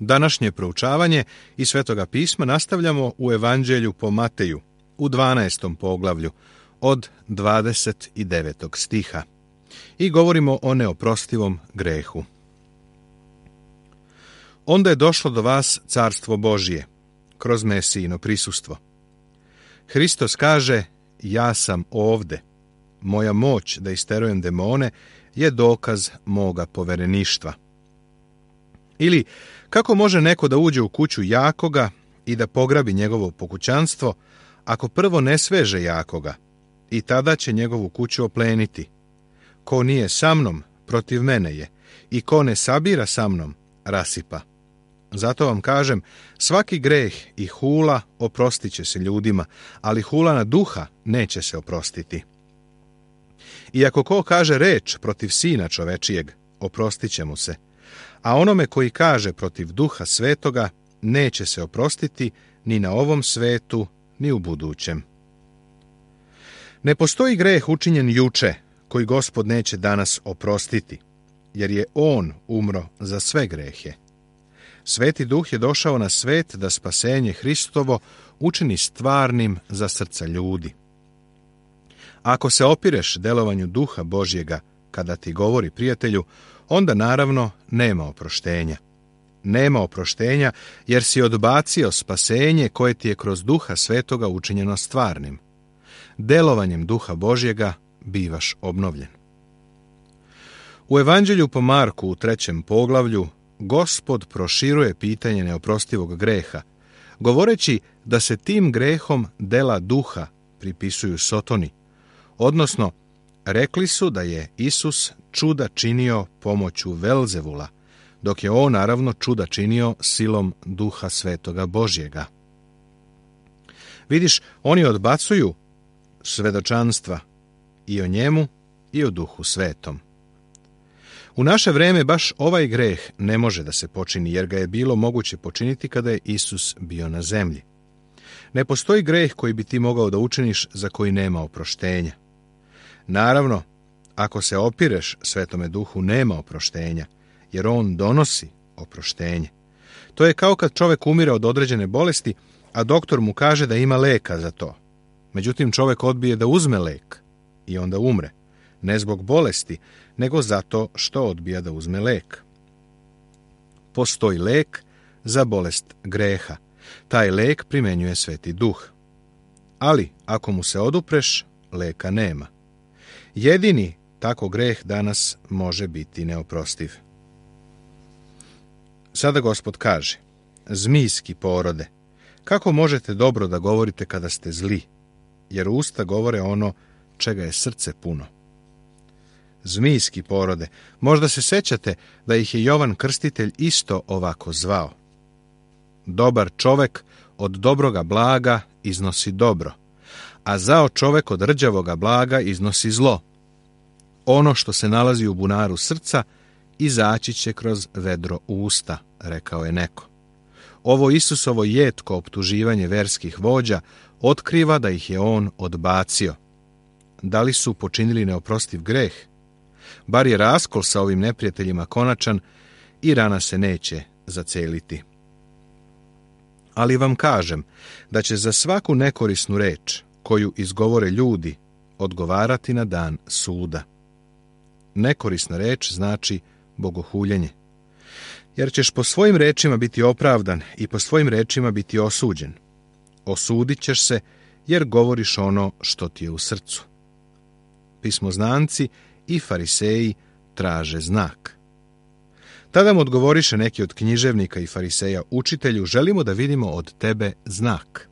Današnje proučavanje iz Svetoga pisma nastavljamo u Evanđelju po Mateju, u 12. poglavlju, od 29. stiha. I govorimo o neoprostivom grehu. Onda je došlo do vas carstvo Božje, kroz Mesijino prisustvo. Hristos kaže, ja sam ovde. Moja moć da isterujem demone je dokaz moga povereništva. Ili, kako može neko da uđe u kuću jakoga i da pograbi njegovo pokućanstvo, ako prvo ne sveže jakoga, i tada će njegovu kuću opleniti. Ko nije sa mnom, protiv mene je, i ko ne sabira sa mnom, rasipa. Zato vam kažem, svaki greh i hula oprostit će se ljudima, ali hula na duha neće se oprostiti. I ako ko kaže reč protiv Sina čovečijeg, oprostit će mu se, a onome koji kaže protiv Duha Svetoga, neće se oprostiti ni na ovom svetu, ni u budućem. Ne postoji greh učinjen juče, koji Gospod neće danas oprostiti, jer je On umro za sve grehe. Sveti Duh je došao na svet da spasenje Hristovo učini stvarnim za srca ljudi. Ako se opireš delovanju Duha Božjega kada ti govori prijatelju, onda naravno nema oproštenja. Nema oproštenja jer si odbacio spasenje koje ti je kroz Duha Svetoga učinjeno stvarnim. Delovanjem Duha Božjega bivaš obnovljen. U Evanđelju po Marku u 3. poglavlju Gospod proširuje pitanje neoprostivog greha, govoreći da se tim grehom dela duha pripisuju Sotoni, odnosno rekli su da je Isus čuda činio pomoću Velzevula, dok je on naravno čuda činio silom Duha Svetoga Božjega. Vidiš, oni odbacuju svedočanstva i o njemu i o Duhu Svetom. U naše vreme baš ovaj greh ne može da se počini, jer ga je bilo moguće počiniti kada je Isus bio na zemlji. Ne postoji greh koji bi ti mogao da učiniš za koji nema oproštenja. Naravno, ako se opireš Svetome Duhu, nema oproštenja, jer on donosi oproštenje. To je kao kad čovjek umire od određene bolesti, a doktor mu kaže da ima leka za to. Međutim, čovjek odbije da uzme lek i onda umre. Ne zbog bolesti, nego zato što odbija da uzme lek. Postoji lek za bolest greha. Taj lek primenjuje Sveti Duh. Ali, ako mu se odupreš, leka nema. Jedini tako greh danas može biti neoprostiv. Sada Gospod kaže, zmijski porode, kako možete dobro da govorite kada ste zli, jer usta govore ono čega je srce puno. Zmijski porode, možda se sećate da ih je Jovan Krstitelj isto ovako zvao. Dobar čovek od dobroga blaga iznosi dobro, a zao čovek od rđavoga blaga iznosi zlo. Ono što se nalazi u bunaru srca, izaći će kroz vedro usta, rekao je neko. Ovo Isusovo jetko optuživanje verskih vođa otkriva da ih je on odbacio. Da li su počinili neoprostiv greh? Bar je raskol sa ovim neprijateljima konačan i rana se neće zaceliti. Ali vam kažem da će za svaku nekorisnu reč koju izgovore ljudi odgovarati na dan suda. Nekorisna reč znači bogohuljenje. Jer ćeš po svojim rečima biti opravdan i po svojim rečima biti osuđen. Osudit ćeš se jer govoriš ono što ti je u srcu. Pismoznanci i fariseji traže znak. Tada mu odgovoriše neki od književnika i fariseja, učitelju, želimo da vidimo od tebe znak.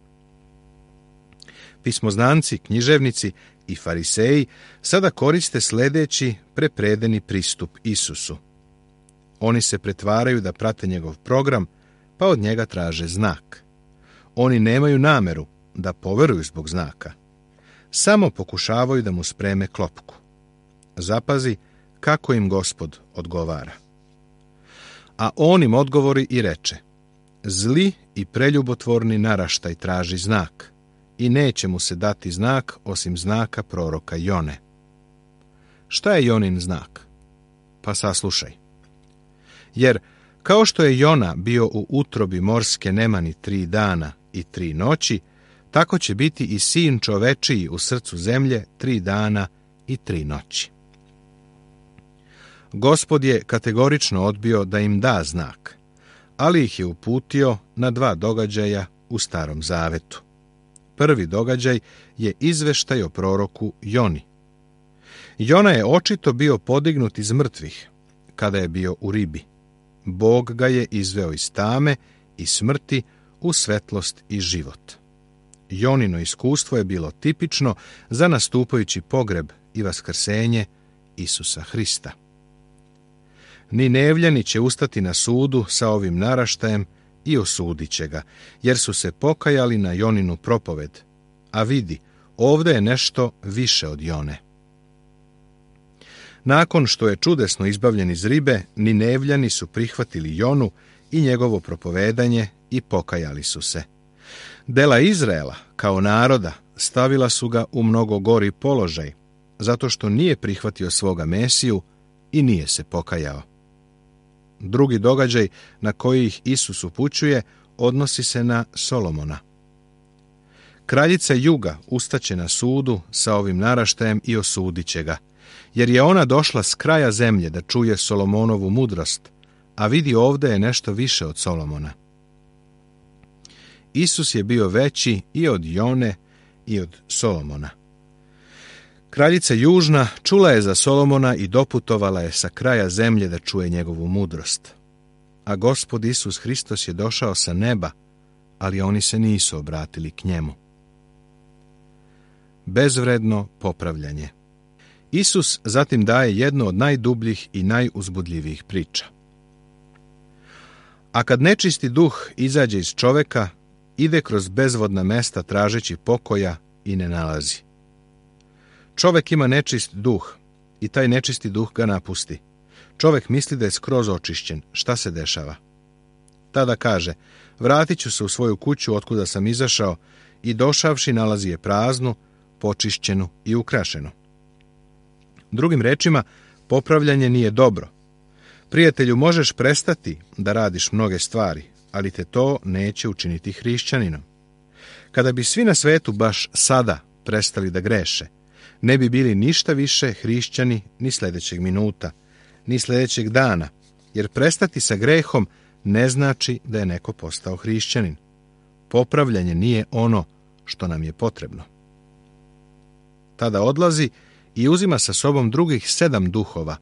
Pismoznanci, književnici i fariseji sada koriste sledeći prepredeni pristup Isusu. Oni se pretvaraju da prate njegov program, pa od njega traže znak. Oni nemaju nameru da poveruju zbog znaka. Samo pokušavaju da mu spreme klopku. Zapazi kako im Gospod odgovara. A on im odgovori i reče, zli i preljubotvorni naraštaj traži znak i neće mu se dati znak osim znaka proroka Jone. Šta je Jonin znak? Pa saslušaj. Jer Kao što je Jona bio u utrobi morske nemani 3 dana i 3 noći, tako će biti i sin čovečiji u srcu zemlje 3 dana i 3 noći. Gospod je kategorično odbio da im da znak, ali ih je uputio na 2 događaja u Starom Zavetu. Prvi događaj je izveštaj o proroku Joni. Jona je očito bio podignut iz mrtvih kada je bio u ribi. Bog ga je izveo iz tame i smrti u svetlost i život. Jonino iskustvo je bilo tipično za nastupajući pogreb i vaskrsenje Isusa Hrista. Ninevljani će ustati na sudu sa ovim naraštajem i osudit će ga, jer su se pokajali na Joninu propoved. A vidi, ovdje je nešto više od Jone. Nakon što je čudesno izbavljen iz ribe, Ninevljani su prihvatili Jonu i njegovo propovedanje i pokajali su se. Dela Izraela, kao naroda, stavila su ga u mnogo gori položaj, zato što nije prihvatio svoga Mesiju i nije se pokajao. Drugi događaj na koji ih Isus upućuje odnosi se na Solomona. Kraljica Juga ustaće na sudu sa ovim naraštajem i osudit će ga, jer je ona došla s kraja zemlje da čuje Solomonovu mudrost, a vidi ovdje je nešto više od Solomona. Isus je bio veći i od Jone i od Solomona. Kraljica Južna čula je za Solomona i doputovala je sa kraja zemlje da čuje njegovu mudrost. A Gospod Isus Hristos je došao sa neba, ali oni se nisu obratili k njemu. Bezvredno popravljanje. Isus zatim daje jednu od najdubljih i najuzbudljivijih priča. A kad nečisti duh izađe iz čoveka, ide kroz bezvodna mesta tražeći pokoja i ne nalazi. Čovek ima nečist duh i taj nečisti duh ga napusti. Čovek misli da je skroz očišćen. Šta se dešava? Tada kaže, vratit ću se u svoju kuću otkuda sam izašao i došavši nalazi je praznu, počišćenu i ukrašenu. Drugim rečima, popravljanje nije dobro. Prijatelju, možeš prestati da radiš mnoge stvari, ali te to neće učiniti hrišćaninom. Kada bi svi na svetu baš sada prestali da greše, ne bi bili ništa više hrišćani ni sljedećeg minuta, ni sljedećeg dana, jer prestati sa grehom ne znači da je neko postao hrišćanin. Popravljanje nije ono što nam je potrebno. Tada odlazi i uzima sa sobom drugih 7 duhova,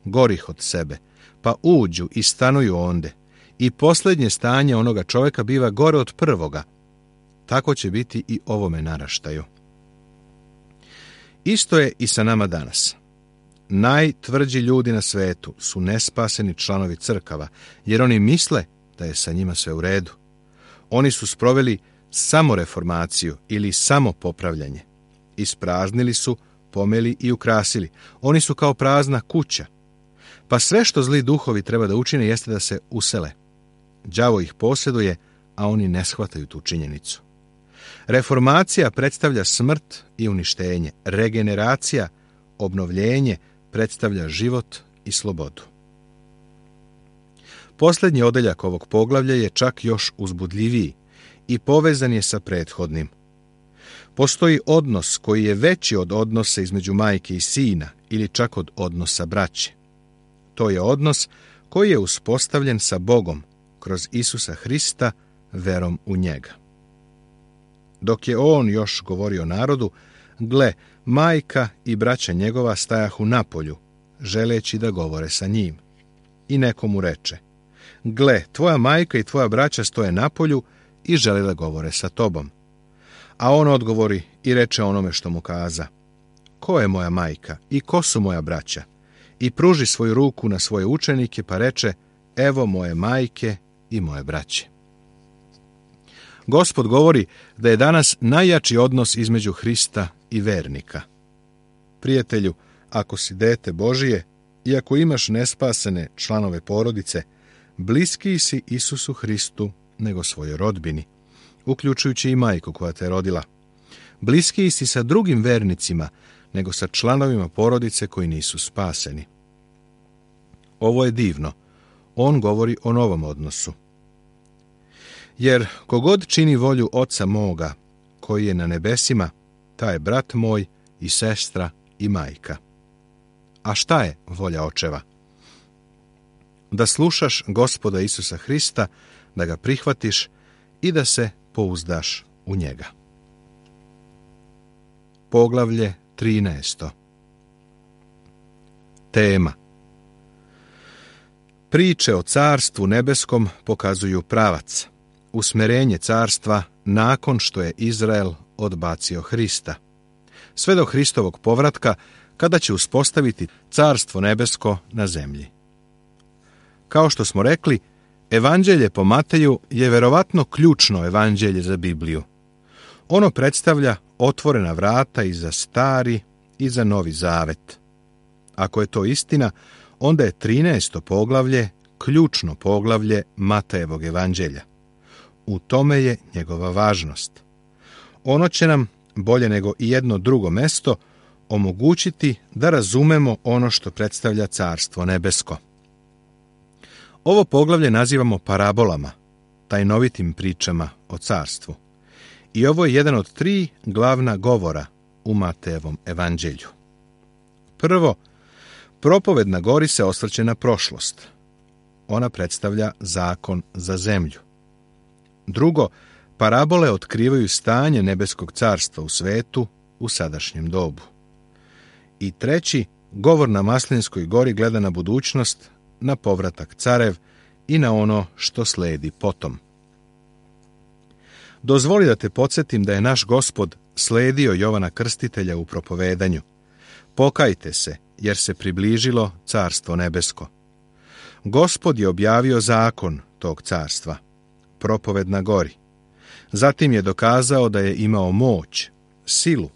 gorih od sebe, pa uđu i stanuju onde, i posljednje stanje onoga čovjeka biva gore od prvoga. Tako će biti i ovome naraštaju. Isto je i sa nama danas. Najtvrđi ljudi na svetu su nespaseni članovi crkava, jer oni misle da je sa njima sve u redu. Oni su sproveli samo reformaciju ili samo popravljanje. Ispraznili su, pomeli i ukrasili. Oni su kao prazna kuća. Pa sve što zli duhovi treba da učine jeste da se usele. Đavo ih posjeduje, a oni ne shvataju tu činjenicu. Reformacija predstavlja smrt i uništenje. Regeneracija, obnovljenje, predstavlja život i slobodu. Posljednji odeljak ovog poglavlja je čak još uzbudljiviji i povezan je sa prethodnim. Postoji odnos koji je veći od odnosa između majke i sina ili čak od odnosa braće. To je odnos koji je uspostavljen sa Bogom kroz Isusa Hrista verom u njega. Dok je on još govorio narodu, gle, majka i braća njegova stajahu napolju, želeći da govore sa njim. I neko mu reče, gle, tvoja majka i tvoja braća stoje napolju i žele da govore sa tobom. A on odgovori i reče onome što mu kaza, ko je moja majka i ko su moja braća? I pruži svoju ruku na svoje učenike pa reče, evo moje majke i moje braće. Gospod govori da je danas najjači odnos između Hrista i vernika. Prijatelju, ako si dete Božije i ako imaš nespasene članove porodice, bliskiji si Isusu Hristu nego svojoj rodbini, uključujući i majku koja te rodila. Bliskiji si sa drugim vernicima nego sa članovima porodice koji nisu spaseni. Ovo je divno. on govori o novom odnosu. Jer kogod čini volju Oca moga, koji je na nebesima, taj je brat moj i sestra i majka. A šta je volja očeva? Da slušaš Gospoda Isusa Hrista, da ga prihvatiš i da se pouzdaš u njega. Poglavlje 13. Tema. Priče o carstvu nebeskom pokazuju pravac, usmerenje carstva nakon što je Izrael odbacio Hrista, sve do Hristovog povratka, kada će uspostaviti carstvo nebesko na zemlji. Kao što smo rekli, Evanđelje po Mateju je verovatno ključno evanđelje za Bibliju. Ono predstavlja otvorena vrata i za Stari i za Novi Zavet. Ako je to istina, onda je 13. poglavlje ključno poglavlje Matejevog evanđelja. U tome je njegova važnost. Ono će nam, bolje nego i jedno drugo mesto, omogućiti da razumemo ono što predstavlja carstvo nebesko. Ovo poglavlje nazivamo parabolama, tajnovitim pričama o carstvu. I ovo je jedan od 3 glavna govora u Matejevom evanđelju. Prvo, propoved na gori se osvrće na prošlost. Ona predstavlja zakon za zemlju. Drugo, parabole otkrivaju stanje nebeskog carstva u svetu u sadašnjem dobu. I treći, govor na Maslinskoj gori gleda na budućnost, na povratak carev i na ono što sledi potom. Dozvoli da te podsjetim da je naš Gospod sledio Jovana Krstitelja u propovedanju. Pokajte se, jer se približilo carstvo nebesko. Gospod je objavio zakon tog carstva, propoved na gori. Zatim je dokazao da je imao moć, silu,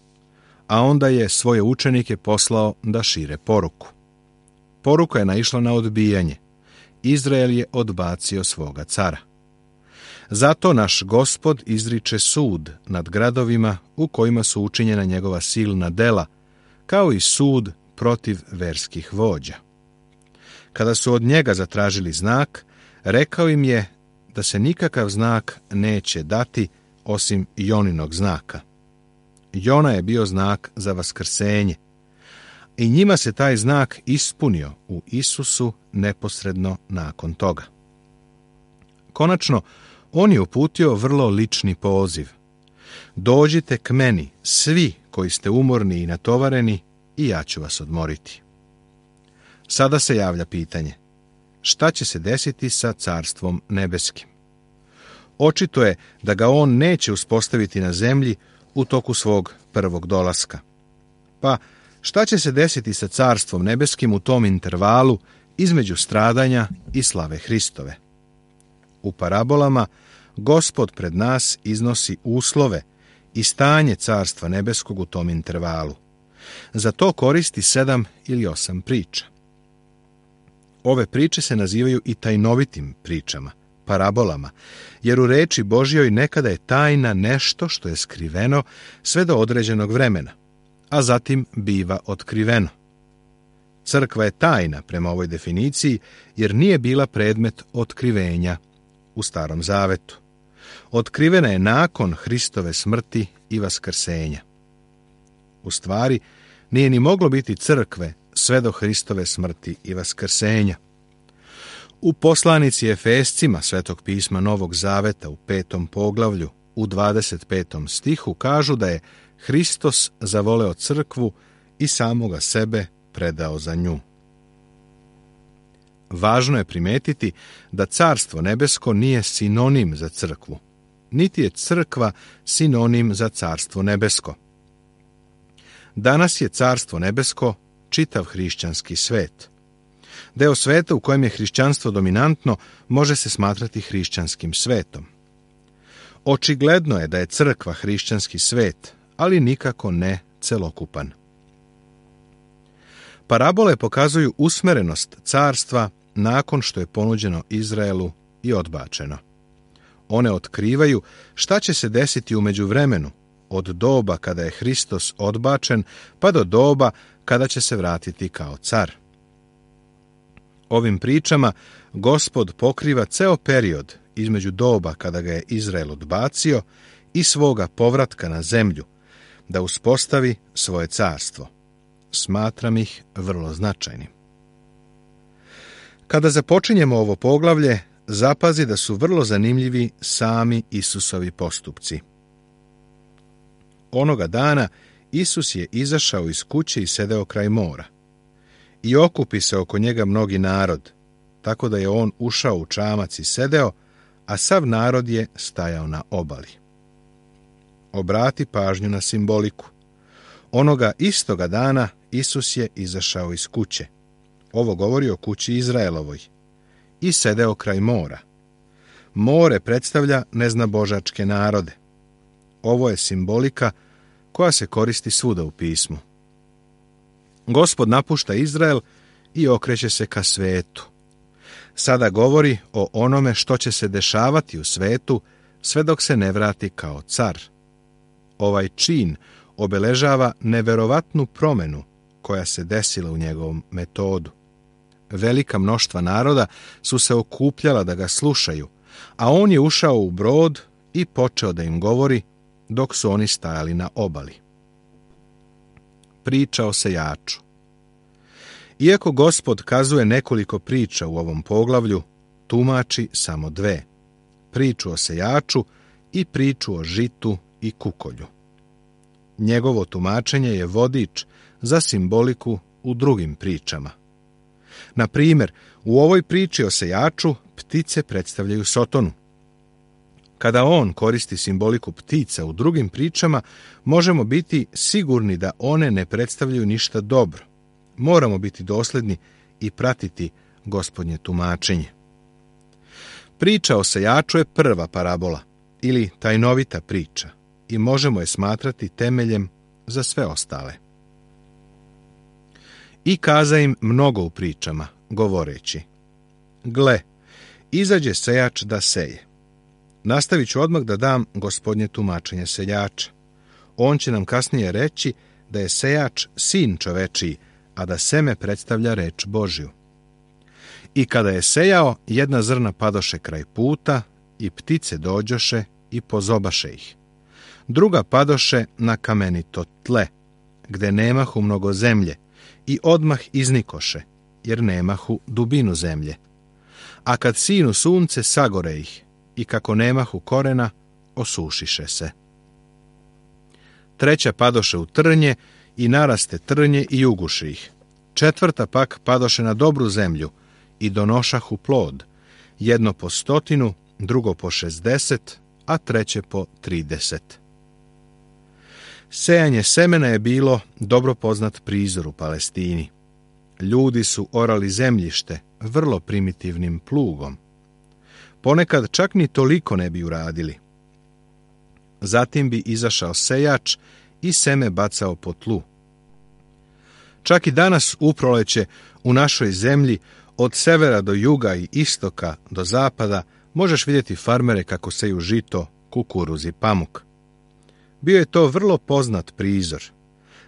a onda je svoje učenike poslao da šire poruku. Poruka je naišla na odbijanje. Izrael je odbacio svoga cara. Zato naš Gospod izriče sud nad gradovima u kojima su učinjena njegova silna dela, kao i sud protiv verskih vođa. Kada su od njega zatražili znak, rekao im je da se nikakav znak neće dati osim Joninog znaka. Jona je bio znak za vaskrsenje. I njima se taj znak ispunio u Isusu neposredno nakon toga. Konačno, on je uputio vrlo lični poziv. Dođite k meni, svi koji ste umorni i natovareni, i ja ću vas odmoriti. Sada se javlja pitanje. Šta će se desiti sa carstvom nebeskim? Očito je da ga on neće uspostaviti na zemlji u toku svog prvog dolaska. Pa, šta će se desiti sa carstvom nebeskim u tom intervalu između stradanja i slave Hristove? U parabolama Gospod pred nas iznosi uslove i stanje carstva nebeskog u tom intervalu. Za to koristi 7 ili 8 priča. Ove priče se nazivaju i tajnovitim pričama, parabolama, jer u reči Božjoj nekada je tajna nešto što je skriveno sve do određenog vremena, a zatim biva otkriveno. Crkva je tajna prema ovoj definiciji, jer nije bila predmet otkrivenja u Starom Zavetu. Otkrivena je nakon Hristove smrti i vaskrsenja. U stvari, nije ni moglo biti crkve sve do Hristove smrti i vaskrsenja. U poslanici Efescima Svetog pisma Novog Zaveta u 5. poglavlju u 25. stihu kažu da je Hristos zavoleo crkvu i samoga sebe predao za nju. Važno je primetiti da carstvo nebesko nije sinonim za crkvu, niti je crkva sinonim za carstvo nebesko. Danas je carstvo nebesko čitav hrišćanski svet. Deo sveta u kojem je hrišćanstvo dominantno može se smatrati hrišćanskim svetom. Očigledno je da je crkva hrišćanski svet, ali nikako ne celokupan. Parabole pokazuju usmerenost carstva nakon što je ponuđeno Izraelu i odbačeno. One otkrivaju šta će se desiti u međuvremenu, od doba kada je Hristos odbačen pa do doba kada će se vratiti kao car. Ovim pričama Gospod pokriva ceo period između doba kada ga je Izrael odbacio i svoga povratka na zemlju, da uspostavi svoje carstvo. Smatram ih vrlo značajnim. Kada započinjemo ovo poglavlje, zapazi da su vrlo zanimljivi sami Isusovi postupci. Onoga dana Isus je izašao iz kuće i sedeo kraj mora. I okupi se oko njega mnogi narod, tako da je on ušao u čamac i sedeo, a sav narod je stajao na obali. Obrati pažnju na simboliku. Onoga istoga dana Isus je izašao iz kuće. Ovo govori o kući Izraelovoj. I sedeo kraj mora. More predstavlja neznabožačke narode. Ovo je simbolika koja se koristi svuda u pismu. Gospod napušta Izrael i okreće se ka svetu. Sada govori o onome što će se dešavati u svetu sve dok se ne vrati kao car. Ovaj čin obeležava neverovatnu promenu koja se desila u njegovom metodu. Velika mnoštva naroda su se okupljala da ga slušaju, a on je ušao u brod i počeo da im govori dok su oni stajali na obali. Priča o sejaču. Iako Gospod kazuje nekoliko priča u ovom poglavlju, tumači samo dve. Priču o sejaču i priču o žitu i kukolju. Njegovo tumačenje je vodič za simboliku u drugim pričama. Na primjer, u ovoj priči o sejaču ptice predstavljaju Sotonu. Kada on koristi simboliku ptica u drugim pričama, možemo biti sigurni da one ne predstavljaju ništa dobro. Moramo biti dosledni i pratiti Gospodnje tumačenje. Priča o sejaču je prva parabola ili tajnovita priča i možemo je smatrati temeljem za sve ostale. I kaza im mnogo u pričama, govoreći: gle, izađe sejač da seje. Nastavit ću odmah da dam Gospodnje tumačenje sejača. On će nam kasnije reći da je sejač sin čovečiji, a da seme predstavlja reč Božju. I kada je sejao, jedna zrna padoše kraj puta i ptice dođoše i pozobaše ih. Druga padoše na kamenito tle, gde nemahu mnogo zemlje, i odmah iznikoše, jer nemahu dubinu zemlje. A kad sinu sunce, sagore ih, i kako nemahu korena, osušiše se. Treća padoše u trnje, i naraste trnje i uguši ih. Četvrta pak padoše na dobru zemlju, i donošahu plod, jedno po 100, drugo po 60, a treće po 30. Sejanje semena je bilo dobro poznat prizor u Palestini. Ljudi su orali zemljište vrlo primitivnim plugom. Ponekad čak ni toliko ne bi uradili. Zatim bi izašao sejač i seme bacao po tlu. Čak i danas u proleće u našoj zemlji od severa do juga i istoka do zapada možeš vidjeti farmere kako seju žito, kukuruz i pamuk. Bio je to vrlo poznat prizor.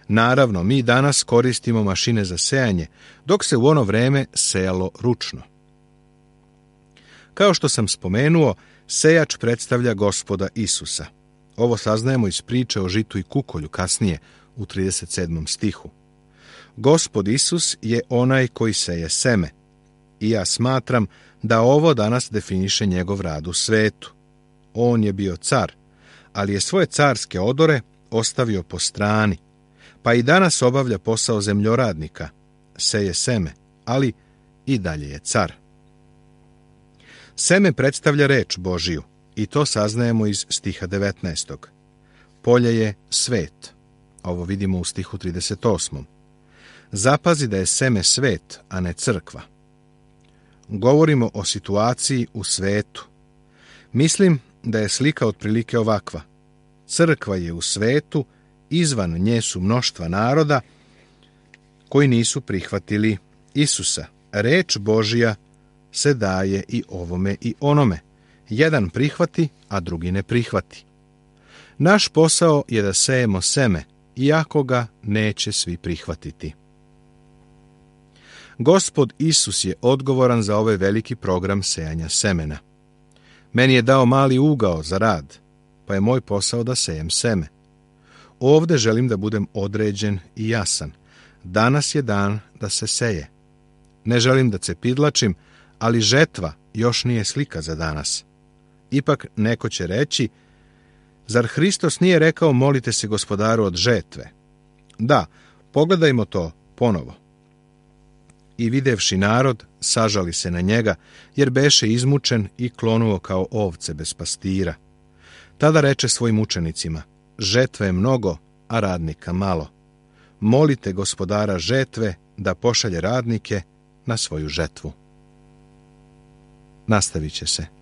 Naravno, mi danas koristimo mašine za sejanje, dok se u ono vreme sejalo ručno. Kao što sam spomenuo, sejač predstavlja Gospoda Isusa. Ovo saznajemo iz priče o žitu i kukolju kasnije u 37. stihu. Gospod Isus je onaj koji seje seme. I ja smatram da ovo danas definiše njegov rad u svetu. On je bio car, ali je svoje carske odore ostavio po strani, pa i danas obavlja posao zemljoradnika, seje seme, ali i dalje je car. Seme predstavlja reč Božiju, i to saznajemo iz stiha 19. Polje je svet. Ovo vidimo u stihu 38. Zapazi da je seme svet, a ne crkva. Govorimo o situaciji u svetu. Mislim da je slika otprilike ovakva. Crkva je u svetu, izvan nje su mnoštva naroda koji nisu prihvatili Isusa. Reč Božja se daje i ovome i onome. Jedan prihvati, a drugi ne prihvati. Naš posao je da sejemo seme, iako ga neće svi prihvatiti. Gospod Isus je odgovoran za ovaj veliki program sejanja semena. Meni je dao mali ugao za rad, pa je moj posao da sejem seme. Ovde želim da budem određen i jasan. Danas je dan da se seje. Ne želim da cepidlačim, ali žetva još nije slika za danas. Ipak neko će reći, zar Hristos nije rekao molite se Gospodaru od žetve? Da, pogledajmo to ponovo. I videvši narod, sažali se na njega, jer beše izmučen i klonuo kao ovce bez pastira. Tada reče svojim učenicima, žetve je mnogo, a radnika malo. Molite Gospodara žetve da pošalje radnike na svoju žetvu. Nastavit će se.